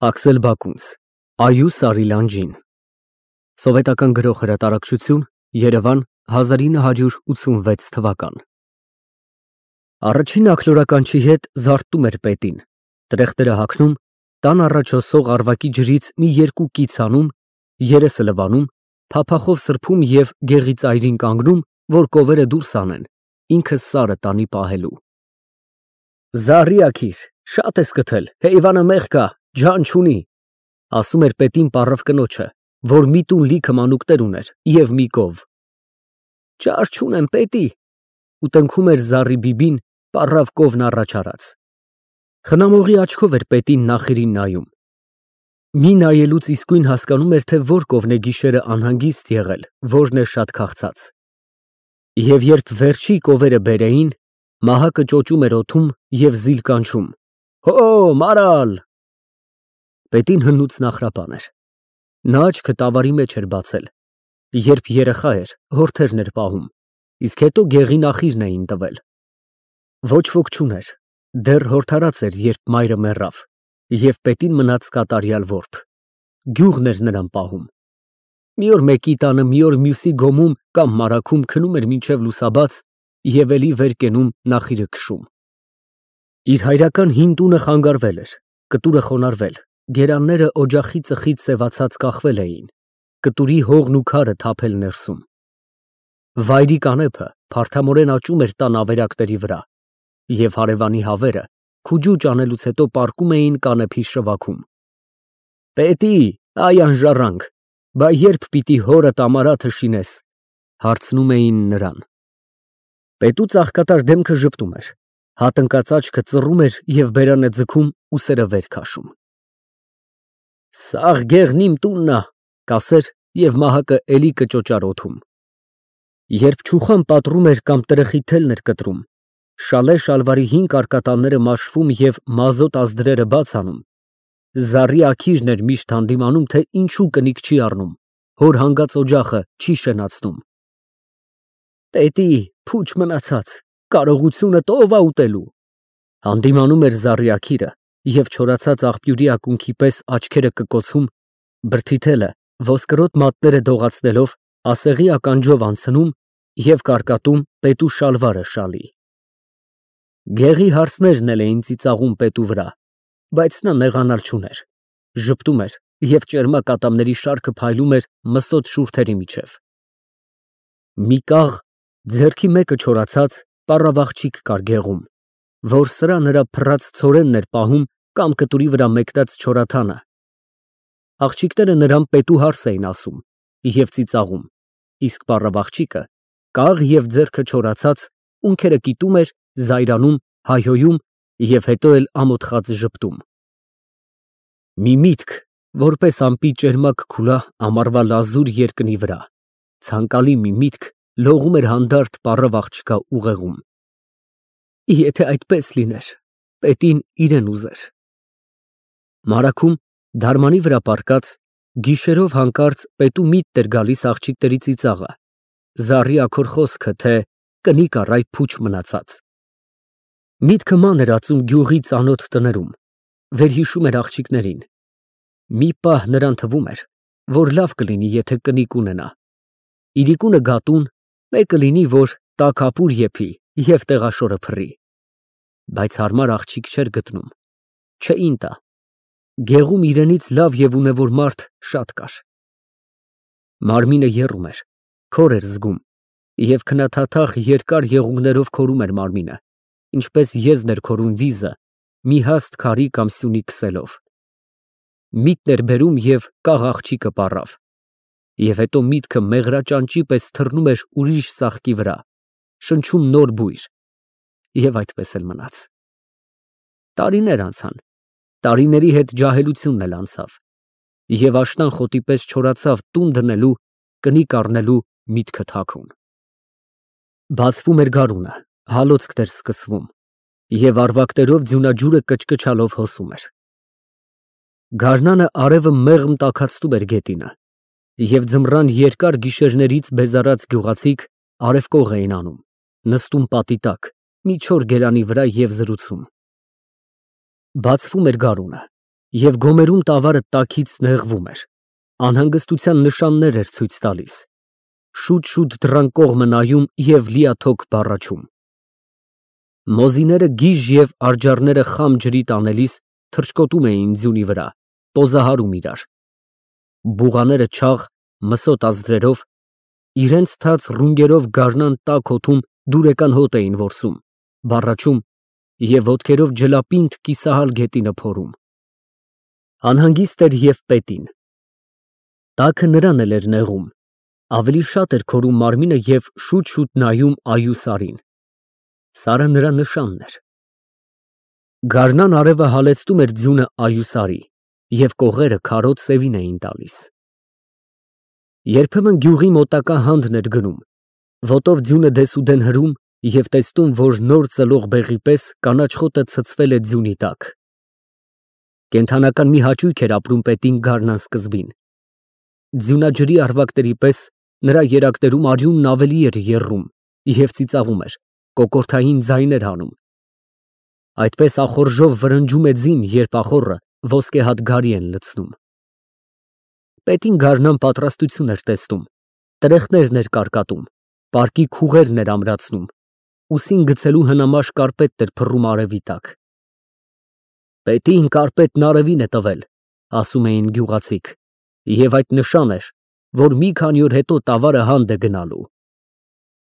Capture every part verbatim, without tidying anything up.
Աքսել Բակունց, Այու Սարիլանջին, Սովետական գրող հրատարակչություն, Երևան, հազար ինը հարյուր ութսունվեց թվական։ Առաջին աքլորականչի հետ զարթնում էր պետին, տրեխտերը հագնում, տան առաջ հոսող առվակի ջրից մի երկու կից անում, երեսը լվանում, փափախով սրբում և գեղի ծայրին կանգնում, որ կովերը դուրս անեն, ինքը սարը տանի պահելու։ Զարի աքիր, շատ ես գթել, հեյվանը մեղ կա, ջան չունի, ասում էր պետին պառավ կնոջը, որ մի տուն լիքը մանուկներ ուներ և մի կով։ Ճար չունեմ պետի, ու տնքում էր զառի բիբին, պառավ կովն առաջ արած։ Խնամողի աչքով էր պետին նախիրին նայում։ Մի նայելուց իսկույն հասկանում էր, թե որ կովն է գիշերը անհանգիստ եղել, որն է շատ քաղցած։ Եվ երբ վերջի կովերը բերեին, մահակը ճոճում էր օդում և զիլ կանչում. Հո, մարալ։ Պետին հնուց նախրապան էր։ Նա աչքը տավարի մեջ էր բացել։ Երբ երեխա էր, հորթերն էր պահում, իսկ հետո գեղի նախիրն էին տվել։ Ոչ ոք չուներ, դեռ հորդարած էր, երբ մայրը մեռավ, և պետին մնաց կատարյալ որբ։ Գյուղն էր նրան պահում։ Մի օր մեկի տանը, մի օր մյուսի գոմում կամ մարագում քնում էր մինչև լուսաբաց և էլի վեր կենում նախիրը քշում։ Իր հայրական հին տունը խանգարվել էր, կտուրը խոնարհվել, գերանները օջախի ծխից սևացած կախվել էին, կտուրի հողն ու քարը թափել ներսում։ Վայրի կանեփը փարթամորեն աճում էր տան ավերակների վրա, և հարևանի հավերը քուջուճ անելուց հետո պառկում էին կանեփի շվաքում։ Պետի, այ անժառանգ, բա երբ պիտի հորդ ամարաթը շինես, հարցնում էին նրան։ Պետու ծաղկատար դեմքը ժպտում էր, հատնկած աչքը ծռում էր և բերան է ձգում, ուսերը վեր քաշում։ Սաղ գեղն իմ տունն ա, կասեր և մահակը էլի կճոճար օդում։ Երբ չուխան պատռում էր կամ տրխի թելն էր կտրում, շալե շալվարի հին կարկատանները մաշվում և մազոտ ազդրերը բաց անում, զառի աքիրն էր միշտ հանդիմանում, թե ինչու կնիկ չի առնում, հոր հանգած օջախը չի շենացնում։ Պետի, փուչ մնացած, կարողությունդ ով ա ուտելու։ Հանդիմանում էր զառի աքիրը և չորացած աղբյուրի ակունքի պես աչքերը կկոցում, բրդիթելը ոսկրոտ մատները դողացնելով ասեղի ականջով անցնում և կարկատում պետու շալվարը շալի։ Գեղի հարսներն էլ էին ծիծաղում պետու վրա, բայց նա նեղանալ չուներ, ժպտում էր և ճերմակ ատամների շարքը փայլում էր մսոտ շուրթերի միջև։ Մի կաղ, ձեռքի մեկը չորացած, պառավ աղջիկ կար գեղում, որ սրա նրա փռած ցորենն էր պահում կամ կտուրի վրա մեկնած չորաթանը։ Աղջիկները նրան պետու հարս էին ասում և ծիծաղում, իսկ պառավ աղջիկը, կաղ և ձեռքը չորացած, ունքերը կիտում էր, զայրանում, հայհոյում և հետո էլ ամոթխած ժպտում։ Մի միտք, որպես ամպի ճերմակ քուլա ամառվա լազուր երկնի վրա, ցանկալի մի միտք լողում էր հանդարտ պառավ աղջկա ուղեղում։ Եթե այդպես լիներ, պետին իրեն ուզեր։ Մարագում, դարմանի վրա պառկած, գիշերով հանկարծ պետու միտքն էր գալիս աղջիկների ծիծաղը, զառի աքոր խոսքը, թե կնիկ առ այ փուչ մնացած։ Միտքը ման էր ածում գյուղի ծանոթ տներում, վերհիշում էր աղջիկներին։ Մի պահ նրան թվում էր, որ լավ կլինի, եթե կնիկ ունենա։ Իրիկունը գատուն, մեկը լինի, որ տաք ապուր եփի և տեղաշորը փռի։ Բայց հարմար աղջիկ չէր գտնում, չէին տա։ Գեղում իրենից լավ և ունևոր մարդ շատ կար։ Մարմինը եռում էր, քոր էր զգում, և քնաթաթախ երկար եղունգներով քորում էր մարմինը, ինչպես եզն էր քորում վիզը, մի հաստ քարի կամ սյունի քսելով։ Միտքն էր բերում և կաղ աղջիկը պառավ։ Եվ հետո միտքը մեղրաճանճի պես թռնում էր ուրիշ ծաղկի վրա, շնչում նոր բույր։ Եվ այդպես էլ մնաց։ Տարիներ անցան, տարիների հետ ջահելությունն էլ անցավ, և աշնան խոտի պես չորացավ տուն դնելու, կնիկ առնելու միտքը թաքուն։ Բացվում էր գարունը, հալոցքն էր սկսվում, և առվակներով ձյունաջուրը կչկչալով հոսում էր։ Գարնանը արևը մեղմ տաքացնում էր գետինը, և ձմռան երկար գիշերներից բեզարած գյուղացիք արևկող էին անում, նստում պատի տակ, մի չոր գերանի վրա և զրուցում։ Բացվում էր գարունը, Եվ գոմերում տավարը տաքից նեղվում էր, անհանգստության նշաններ էր ցույց տալիս, շուտ֊շուտ դռան կողմը նայում և լիաթոք բառաչում։ Մոզիները գիժ և արջառները խամ ջրի տանելիս թռչկոտում էին ձյունի վրա, պոզահարում իրար։ Բուղաները չաղ, մսոտ ազդրերով, իրենց թաց ռունգերով գարնան տաք օդում դուրեկան հոտ էին որսում, բառաչում և ոտքերով ջլապինդ կիսահալ գետինը փորում։ Անհանգիստ էր և պետին։ Տաքը նրան էլ էր նեղում, ավելի շատ էր քորում մարմինը և շուտ֊շուտ նայում այու Սարին։ Սարը նրա նշանն էր։ Գարնան արևը հալեցնում էր ձյունը այու Սարի, և կողերը քարոտ սևին էին տալիս։ Երբեմն գյուղի մոտակա հանդն էր գնում, ոտով ձյունը դեսուդեն հրում և տեսնում, որ նոր ծլող բեղի պես կանաչ խոտը ցցվել է ձյունի տակ։ Կենդանական մի հաճույք էր ապրում պետին գարնան սկզբին։ Ձյունաջրի առվակների պես նրա երակներում արյունն ավելի էր եռում և ծիծաղում էր, կոկորդային ձայներ հանում։ Այդպես ախորժով վրնջում է ձին, երբ ախոռը ոսկեհատ գարի են լցնում։ Պետին գարնան պատրաստություն էր տեսնում, տրեխներն էր կարկատում, պարկի քուղերն էր ամրացնում, ուսին գցելու հնամաշ կարպետն էր փռում արևի տակ։ Պետին կարպետն արևին է տվել, ասում էին գյուղացիք, և այդ նշան էր, որ մի քանի օր հետո տավարը հանդ է գնալու։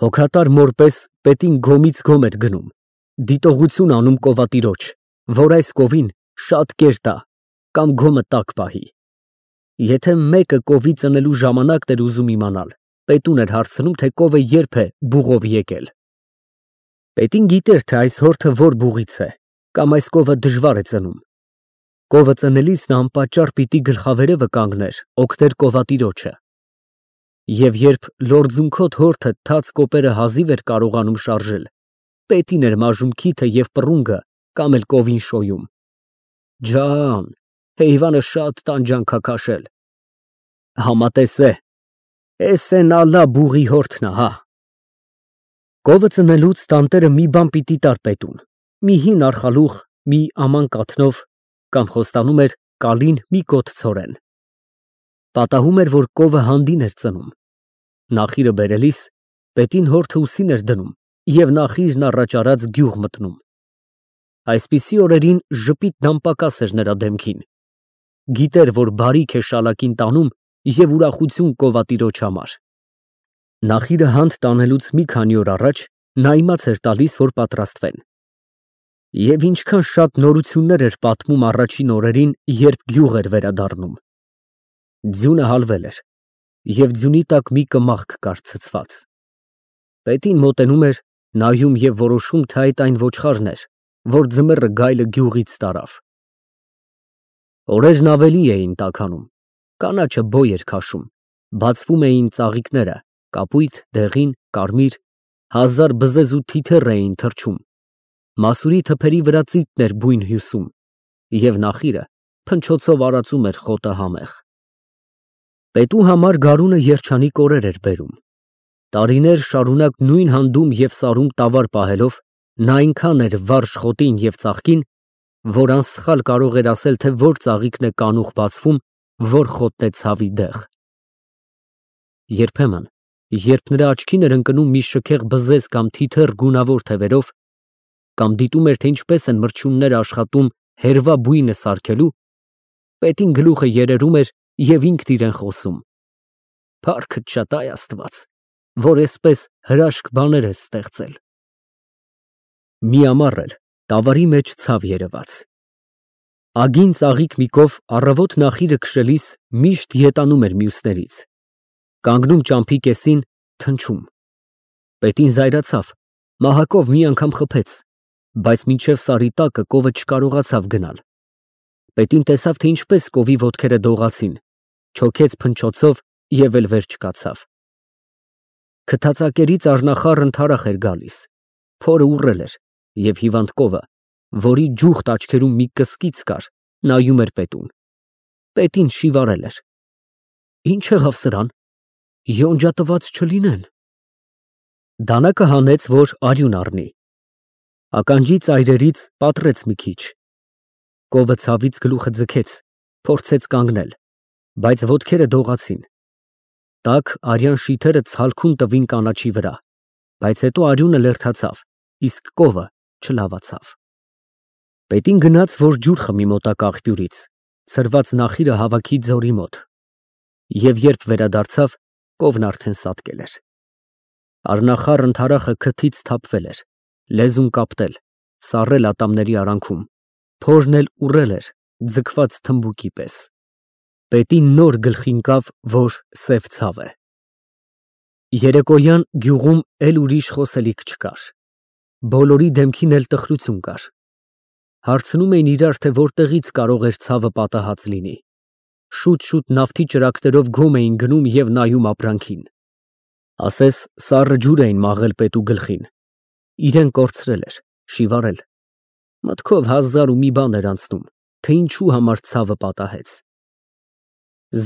Հոգատար մոր պես պետին գոմից գոմ էր գնում, դիտողություն անում կովատիրոջ, որ այս կովին շատ կեր տա կամ գոմը տաք պահի։ Եթե մեկը կովի ծնելու ժամանակն էր ուզում իմանալ, պետուն էր հարցնում, թե կովը երբ է բուղով եկել։ Պետին գիտեր, թե այս հորթը որ բուղից է, կամ այս կովը դժվար է ծնում։ Կովը ծնելիս նա անպատճառ պիտի գլխավերևը կանգներ, օգներ կովատիրոջը։ Եվ երբ լորձունքոտ հորթը թաց կոպերը հազիվ էր կարողանում շարժել, պետին էր մաժում քիթը և պռունգը կամ էլ կովին շոյում։ Ջան, հեյվանը շատ տանջանք ա քաշել։ Համատես է, էս էն ալա բուղի հորթն ա, հա։ Կովը ծնելուց տանտերը մի բան պիտի տար պետուն, մի հին արխալուղ, մի աման կաթնով, կամ խոստանում էր կալին մի կոթ ցորեն։ Պատահում էր, որ կովը հանդին էր ծնում։ Նախիրը բերելիս պետին հորթը ուսին էր դնում և նախիրն առաջ արած գյուղ մտնում։ Այսպիսի օրերին ժպիտն անպակաս էր նրա դեմքին։ Գիտեր, որ բարիք է շալակին տանում և ուրախություն կովատիրոջ համար։ Նախիրը հանդ տանելուց մի քանի օր առաջ նա իմաց էր տալիս, որ պատրաստվեն։ Եվ ինչքան շատ նորություններ էր պատմում առաջին օրերին, երբ գյուղ էր վերադառնում։ Ձյունը հալվել էր, և ձյունի տակ մի կմախք կար ցցված։ Պետին մոտենում էր, նայում և որոշում, թե այդ այն ոչխարն էր, որ ձմեռը գայլը գյուղից տարավ։ Օրերն ավելի էին տաքանում, կանաչը բոյ էր քաշում, բացվում էին ծաղիկները, կապույտ, դեղին, կարմիր, հազար բզեզ ու թիթեռ էին թռչում, մասուրի թփերի վրա ծիծն էր բույն հյուսում, և նախիրը փնչոցով արածում էր խոտը համեղ։ Պետու համար գարունը երջանիկ օրեր էր բերում։ Տարիներ շարունակ նույն հանդում և սարում տավար պահելով, նա այնքան էր վարժ խոտին և ծաղկին, որ անսխալ կարող էր ասել, թե որ ծաղիկն է կանուխ բացվում, որ խոտն է ցավի դեղ։ Երբեմն, երբ նրա աչքին էր ընկնում մի շքեղ բզեզ կամ թիթեռ գունավոր թևերով, կամ դիտում էր, թե ինչպես են մրջյունները աշխատում հերվա բույնը սարքելու, պետին գլուխը երերում էր և ինքն իրեն խոսում. «Փառքդ շատ, այ Աստված, որ էսպես հրաշք բաներ ես ստեղծել»։ Մի ամառ էլ տավարի մեջ ցավ երևաց։ Ագին ծաղիկ մի կով առավոտ նախիրը քշելիս միշտ ետանում էր մյուսներից, կանգնում ճամփի կեսին, թնչում։ Պետին զայրացավ, մահակով մի անգամ խփեց, բայց մինչև սարի տակը կովը չկարողացավ գնալ։ Պետին տեսավ, թե ինչպես կովի ոտքերը դողացին, չոքեց փնչոցով և էլ վեր չկացավ։ Քթածակերից առնախառն թարախ էր գալիս, փորը ուռել էր, և հիվանդ կովը, որի ջուխտ աչքերում մի կսկիծ կար, նայում էր պետուն։ Պետին շիվարել էր։ Ինչ եղավ սրան, յոնջատված չլինեն։ Դանակը հանեց, որ արյուն առնի։ Ականջի ծայրերից պատռեց մի քիչ։ Կովը ցավից գլուխը ձգեց, փորձեց կանգնել, բայց ոտքերը դողացին։ Տաք արյան շիթերը ցալքուն տվին կանաչի վրա, բայց հետո արյունը լերդացավ, իսկ կովը չլավացավ։ Պետին գնաց, որ ջուր խմի մոտակա աղբյուրից, ցրված նախիրը հավաքի ձորի մոտ, և երբ վերադարձավ, կովն արդեն սատկել էր։ Առնախառն թարախը քթից թափվել էր, լեզուն կապտել, սառել ատամների արանքում, փորն էլ ուռել էր, ձգված թմբուկի պես։ Պետին նոր գլխի ընկավ, որ սև ցավ է։ Երեկոյան գյուղում էլ ուրիշ խոսելիք չկար։ Բոլորի դեմքին էլ տխրություն կար։ Հարցնում էին իրար, թե որտեղից կարող էր ցավը պատահած լինի։ Շուտ-շուտ նավթի ճրագներով գոմ էին գնում և նայում ապրանքին։ Ասես սառը ջուր էին մաղել պետու գլխին։ Իրեն կորցրել էր, շիվարել։ Մտքով հազար ու մի բան էր անցնում, թե ինչու համար ցավը պատահեց։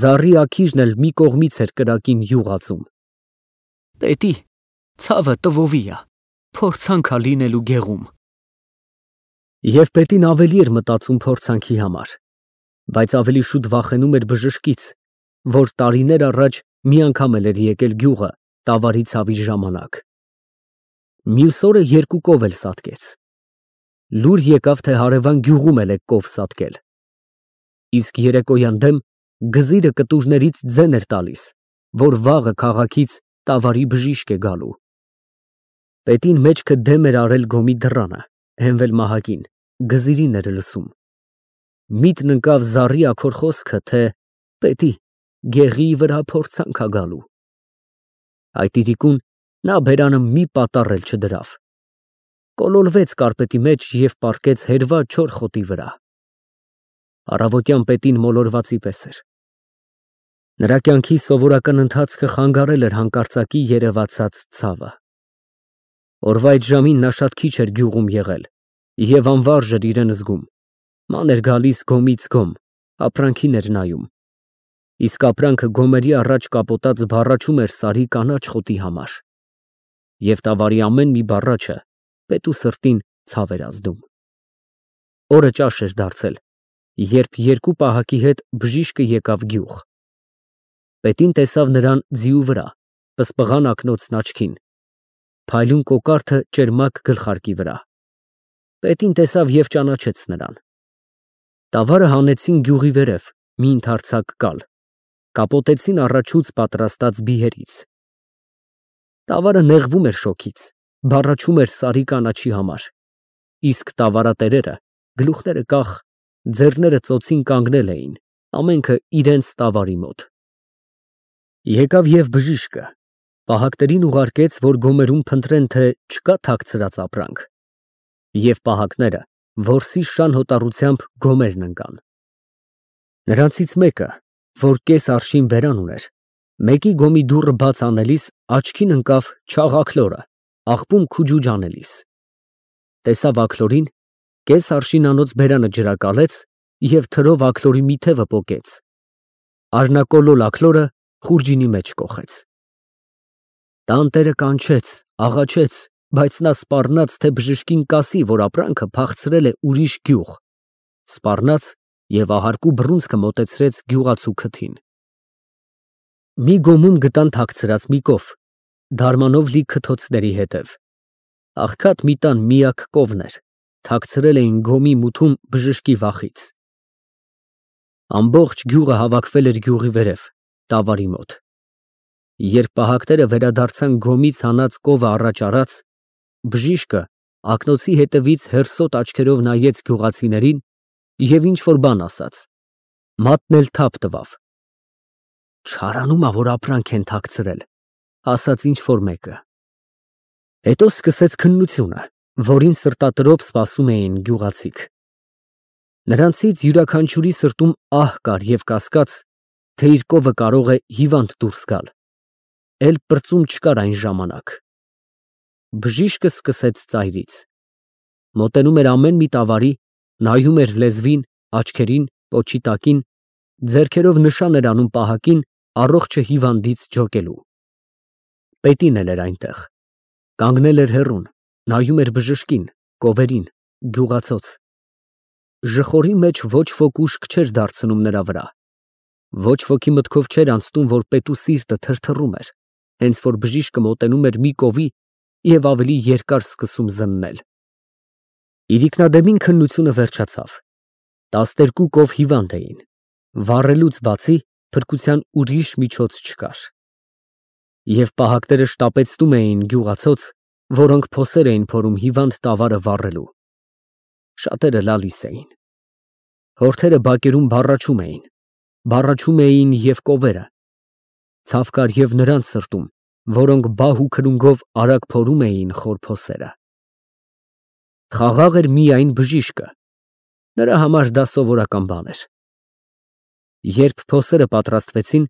Զառի աքիրն էլ մի կողմից էր կրակին յուղ ածում։ Պետի, ցավը տվովի ա, փորձանք ա լինելու գեղում։ Եվ պետին ավելի էր մտածում փորձանքի համար, բայց ավելի շուտ վախենում էր բժշկից, որ տարիներ առաջ մի անգամ էլ էր եկել գյուղը տավարի ցավի ժամանակ։ Մյուս օրը երկու կով էլ սատկեց։ Լուր եկավ, թե հարևան գյուղում էլ է կով սատկել։ Իսկ երեկոյան դեմ գզիրը կտուրներից ձեն էր տալիս, որ վաղը քաղաքից տավարի բժիշկ է գալու։ Պետին մեջքը դեմ էր արել գոմի դռանը, հենվել մահակին, գզիրին էր լսում։ Միտն ընկավ զառի աքոր խոսքը, թե պետի, գեղի վրա փորձանք ա գալու։ Այդ իրիկուն նա բերանը մի պատառ էլ չդրավ։ Կոլորվեց կարպետի մեջ և պառկեց հերված չոր խոտի վրա։ Առավոտյան պետին մոլորվածի պես էր։ Նրա կյանքի սովորական ընթացքը խանգարել էր հանկարծակի երևացած ցավը։ Օրվա այդ ժամին նա շատ քիչ էր գյուղում եղել և անվարժ էր իրեն զգում, ման էր գալիս գոմից գոմ, ապրանքին էր նայում, իսկ ապրանքը գոմերի առաջ կապոտած բառաչում էր սարի կանաչ խոտի համար, և տավարի ամեն մի բառաչը պետու սրտին ցավ էր ազդում։ Օրը ճաշ էր դարձել, երբ երկու պահակի հետ բժիշկը եկավ գյուղ։ Պետին տեսավ նրան ձիու վրա, պսպղան ակնոցն աչքին, փայլուն կոկարդը ճերմակ գլխարկի վրա։ Պետին տեսավ և ճանաչեց նրան։ Տավարը հանեցին գյուղի վերև, մի ընդարձակ կալ, կապոտեցին առաջուց պատրաստած բիերից։ Տավարը նեղվում էր շոգից, բառաչում էր սարի կանաչի համար, իսկ տավարատերերը, գլուխները կախ, ձեռները ծոցին կանգնել էին, ամենքը իրենց տավարի մոտ։ Եկավ և բժիշկը, պահակներին ուղարկեց, որ գոմերում փնտրեն, թե չկա թաքցրած ապրանք, և պահակները որսի շան հոտառությամբ գոմերն ընկան։ Նրանցից մեկը, որ կես արշին բերան ուներ, մեկի գոմի դուռը բաց անելիս աչքին ընկավ չաղ աքլորը, աղբում քուջուջ անելիս։ Տեսավ աքլորին, կես արշինանոց բերանը ջրակալեց և թրով աքլորի մի թևը պոկեց, առնակոլոլ աքլորը խուրջինի մեջ կոխեց։ Տանտերը կանչեց, աղաչեց, բայց նա սպառնաց, թե բժշկին կասի, որ ապրանքը փախցրել է ուրիշ գյուղ, սպառնաց և ահարկու բռունցքը մոտեցրեց գյուղացու քթին։ Մի գոմում գտան թաքցրած մի կով, դարմանով լի քթոցների հետև։ Աղքատ մի տան միակ կովն էր, թաքցրել էին գոմի մութում բժշկի վախից։ Ամբողջ գյուղը հավաքվել էր գյուղի վերև, տավարի մոտ։ Երբ պահակները վերադարձան գոմից հանած կովը առաջ արած, բժիշկը ակնոցի հետևից հերսոտ աչքերով նայեց գյուղացիներին և ինչ-որ բան ասաց, մատն էլ թափ տվավ։ Չարանում ա, որ ապրանք են թաքցրել, ասաց ինչ-որ մեկը։ Հետո սկսեց քննությունը, որին սրտատրոփ սպասում էին գյուղացիք։ Նրանցից յուրաքանչյուրի սրտում ահ կար և կասկած, թե իր կովը կարող է հիվանդ դուրս գալ, էլ պրծում չկար այն ժամանակ։ Բժիշկը սկսեց ծայրից։ Մոտենում էր ամեն մի տավարի, նայում էր լեզվին, աչքերին, պոչի տակին, ձեռքերով նշան էր անում պահակին առողջը հիվանդից ջոկելու։ Պետին էլ էր այնտեղ, կանգնել էր հեռուն, նայում էր բժշկին, կովերին, գյուղացոց։ ժխորի մեջ ոչ ոք ուշք չէր դարձնում նրա վրա, ոչ ոքի մտքով չէր անցնում, որ պետու սիրտը թրթռում էր, հենց որ բժիշկը մոտենում էր մի կովի և ավելի երկար սկսում զննել։ Իրիկնադեմին քննությունը վերջացավ, տասներկու կով հիվանդ էին, վառելուց բացի փրկության ուրիշ միջոց չկար։ Եվ պահակները շտապեցնում էին գյուղացոց, որոնք փոսեր էին փորում հիվանդ տավարը վառելու։ Շատերը լալիս էին։ Հորթերը բակերում բառաչում էին, բառաչում էին և կովերը, ցավ կար և նրանց սրտում, որոնք բահ ու քրունգով արագ փորում էին խոր փոսերը։ Խաղաղ էր միայն բժիշկը, նրա համար դա սովորական բան էր։ Երբ փոսերը պատրաստվեցին,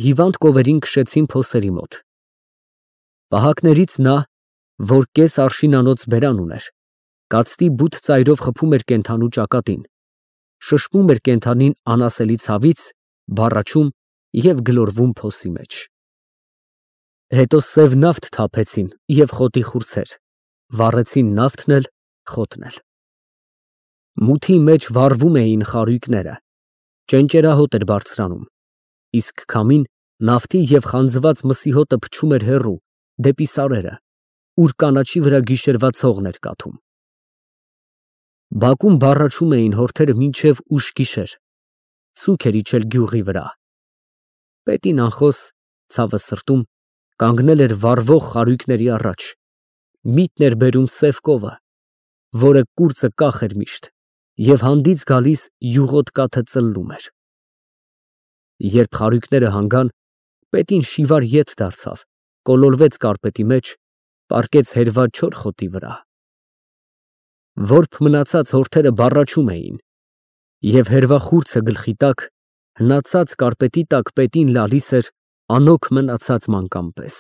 հիվանդ կովերին քշեցին փոսերի մոտ։ Պահակներից նա, որ կես արշինանոց բերան ուներ, կացտի բութ ծայրով խփում էր կենդանու ճակատին, շշմում էր կենդանին անասելի ցավից, բառաչում և գլորվում փոսի մեջ։ Հետո սև նավթ թափեցին և խոտի խուրձեր, վառեցին նավթն էլ, խոտն էլ։ Մութի մեջ վառվում էին խարույկները, ճենճերահոտ էր բարձրանում, իսկ քամին նավթի և խանձված մսի հոտը փչում էր հեռու, դեպի սարերը, ուր կանաչի վրա գիշերվա ցողն էր կաթում։ Բակում բառաչում էին հորթերը մինչև ուշ գիշեր, սուգ էր իջել գյուղի վրա։ Պետին անխոս, ցավը սրտում, կանգնել էր վառվող խարույկների առաջ, միտն էր բերում սև կովը, որը կուրծը կախ էր միշտ, և հանդից գալիս յուղոտ կաթը ծլլում էր։ Երբ խարույկները հանգան, պետին շիվար ետ դարձավ, կոլորվեց կարպետի մեջ, պառկեց հերված չոր խոտի վրա։ Որբ մնացած հորթերը բառաչում էին, և հերվախուրձը գլխի տակ, հնացած կարպետի տակ պետին լալիս էր անօգ մնացած մանկան պես։